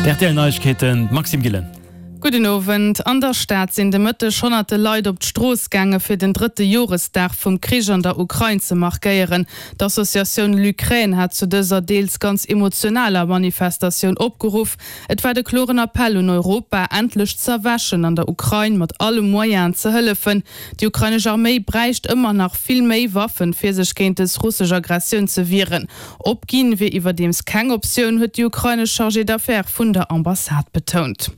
D'RTL Neiegkeeten, d'Maxime Gillen. Gudden Owend. An der Stad sinn de Mëtteg honnerte Leit op d'Strooss gaange fir den drëtte Joresdag vum Krich an der Ukrain ze markéieren. D'Associatioun LUkraine hat zu dëser deels ganz emotionaler Manifestatioun opgeruff. Et war de kloren Appell un Europa, endlech z'erwächen an der Ukrain mat alle Moyenen ze hëllefen. Déi ukrainesch Arméi bräicht ëmmer nach vill méi Waffen, fir sech géint dës russesch Aggressioun ze wieren. Opginn wier iwwerdeems keng Optioun, huet déi ukrainesch Chargée d'affaires vun der Ambassade betount.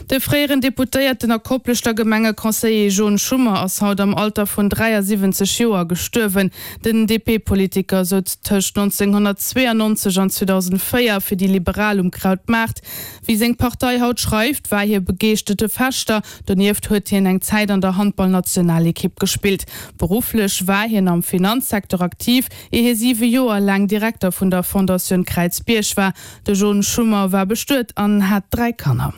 De fréieren Deputéierten a Kopleschter Gemengeconseiller Jon Schummer ass haut am Alter vun 73 Joer gestuerwen. Den DP-Politiker souz tëscht 1992 an 2004 fir déi Liberal um Krautmaart. Wéi seng Partei haut schreift, war hie begeeschtete Fechter. Donieft huet hien eng Zäit an der Handballnationalekipp gespillt. Berufflech war hien am Finanzsecteur aktiv, Ier hie siwe Joer laang Direkter vun der Fondatioun Kräizbierg war. De Jon Schummer war bestuet an hat 3 Kanner.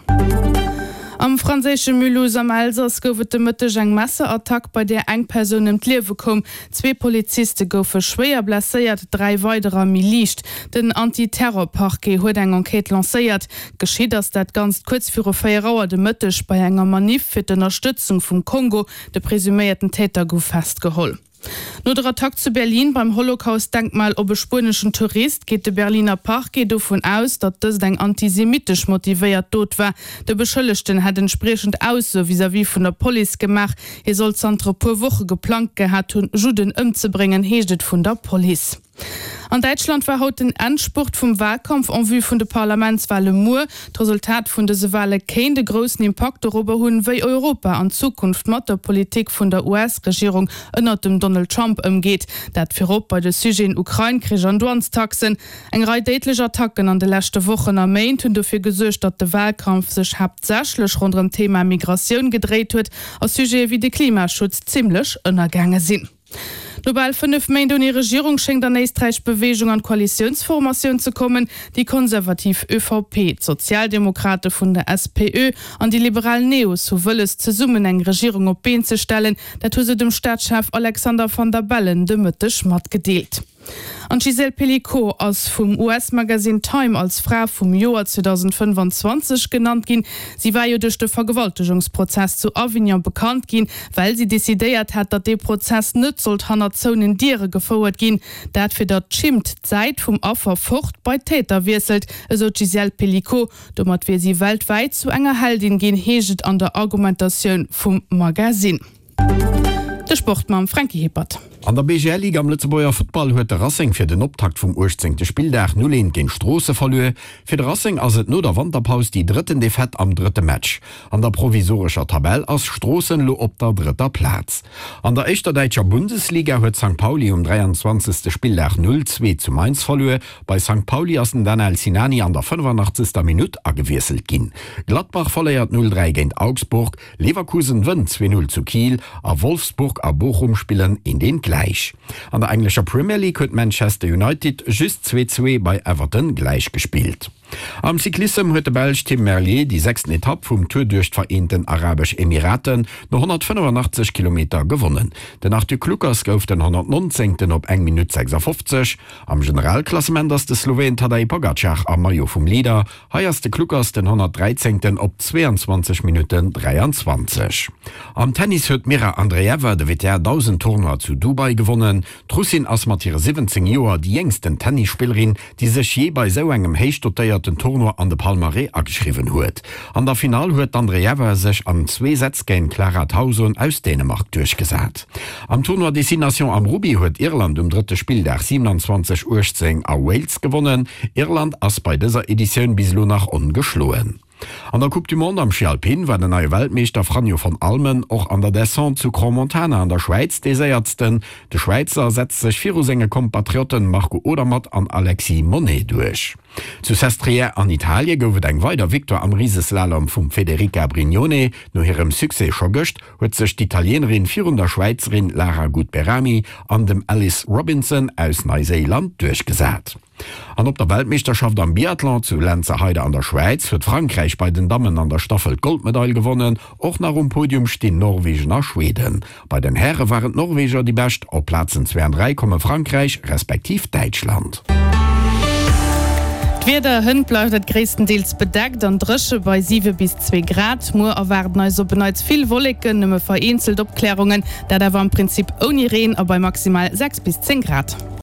Am franséische Mulhouse am Elsass gouf et de Mëtteg eng Messerattack, bei där eng Persoun ëm d'Liewe koum. Zwee Poliziste goufe schwéier blesséiert, 3 weiderer méi liicht. Den Anti-Terror-Parquet huet eng Enquête lancéiert. Geschitt ass dat Ganzt kuerz viru 4 Auer de Mëtteg bei enger Maniff fir d'Ënnerstëtzung vum Kongo. De presuméierten Täter gouf festgeholl. No der Attack zu Berlin beim Holocaust-Denkmal op e spueneschen Tourist geet de Berliner Parquet dovun aus, datt dëst eng antisemittesch motivéiert Dot war. De Beschëllegten hätt entspriechend Aussoe vis-à-vis vun der Police gemaach. Hie soll zanter e puer Woche geplangt gehat hunn, Judden ëmzebréngen, heescht et vun der Police. An Däitschland war haut den Endspurt vum Walkampf en vue vun de Parlamentswale muer. D'Resultat vun dëse Wale kéint e groussen Impakt dorobber hunn, wéi Europa an Zukunft mat der Politik vun der US-Regierung ënnert dem Donald Trump ëmgeet. Dat virop bei de Sujeten Ukrain-Krich an Douanestaxen. Eng Rei déidlech Attacken an de leschte Wochen a Méint hunn dofir gesuergt, datt de Walkampf sech haaptsächlech ronderëm d'Thema Migratioun gedréit huet a Sujete wéi de Klimaschutz zimmlech ënnergaange sinn. No bal 5 Méint ouni Regierung schéngt an Éisträich Beweegung an d'Koalitiounsformatioun ze kommen. Déi konservativ ÖVP, d'Sozialdemokrate vun der SPÖ an déi liberal Neos hu wëlles, zesummen eng Regierung op d'Been ze stellen. Dat hu se dem Staatschef Alexander Van der Bellen de Mëtteg matgedeelt. An d'Gisèle Pelicot ass vum US-Magasinn Time als Fra vum Joer 2025 genannt ginn. Si war jo duerch de Vergewaltegungsprozess zu Avignon bekannt ginn, well si decidéiert hat, datt dee Prozess net sollt hannert zouenen Diere gefouert ginn. Dat fir datt d'Schimmt d'Säit vum Affer fort bei d'Täter wiesselt, esou d'Gisèle Pelicot. Domat wier si weltwäit zu enger Heldin ginn, heescht et an der Argumentatioun vum Magasinn. De Sport mam Franky Hippert. An der BGL-Ligue am Lëtzebuerger Futtball huet de Racing fir den Optakt vum 18. Spilldag 0, 1 géint Stroosse verluer. Fir de Racing ass et no der Wanterpaus déi drëtten Defaite am drëtte Match. An der provisorescher Tabell ass Stroossen elo op der drëtter Plaz. An der éischter däitscher Bundesliga huet Sankt Pauli um 23. Spilldag 0, 2 zu Mainz verluer. Bei Sankt Pauli ass den Danel Sinani an der 85. Minutt agewiesselt ginn. Gladbach verléiert 0, 3 géint Augsburg. Leverkusen wënnt 2, 0 zu Kiel a Wolfsburg a Bochum spillen eent eent gläich. An der englescher Premier League huet Manchester United just 2, 2 bei Everton gläich gespillt. Am Cyclissem huet de Belsch Tim Merlier déi sechsten Etapp vum Tour duerch d'Vereenten Arabesch Emiraten no 185 Kilometer gewonnen. Den Arthur Kluckers gouf den 119. op eng Minutt 56. Am Generalklassement ass de Sloween Tadej Pogacar am Maillot vum Leader Hei ass de Kluckers den 113. op 22 Minutten 23. Am Tennis huet d'Mirra Andreeva de WTA 1000 Tournoi zu Dubai gewonnen. D'Russin ass mat hire 17 Joer déi jéngsten Tennisspillerin, déi sech jee bei esou engem héich dotéierten Tournoi an de Palmarès ageschriwwen huet. An der Finall huet d'Andreeva sech an zwee Sätz géint d'Clara Tauson aus Dänemark duerchgesat. Am Tournoi des Six Nations am Rugby huet Irland um drëtte Spilldag 27, 18 a Wales gewonnen. Irland ass bei dëser Editioun bis elo nach ongeschloen. An der Coupe du Monde am Schi Alpin war den neie Weltmeeschter Franjo von Allmen och an der Descente zu Crans-Montana an der Schwäiz dee Séiertsten. De Schwäizer setzt sech viru senge Kompatriotten Marco Odermatt an Alexis Monney duerch. Zu Sestriere an Italie gouf et eng weider Victoire am Riseslalom vum Federica Brignone. No hirem Succès scho gëscht huet sech d'Italienerin virun der Schwäizerin Lara Gut-Behrami an dem Alice Robinson aus Neiséiland duerchgesat. An op der Weltmeeschterschaft am Biathlon zu Lenzerheide an der Schwäiz huet Frankräich bei den Dammen an der Staffel d'Goldmedail gewonnen. Och nach um Podium stinn Norwegen a Schweden. Bei den Häre waren d'Norweger déi bescht, op Plazen 2 an 3 komme Frankräich respektiv Däitschland. D'Wieder, Hënt bleift et gréisstendeels bedeckt an dréche bei 7 bis 2 Grad. Muer erwaarden eis op en Neits vill Wolleken, nëmme vereenzelt Opklärungen, dat awer am Prinzip ouni Reen a bei maximal 6 bis 10 Grad.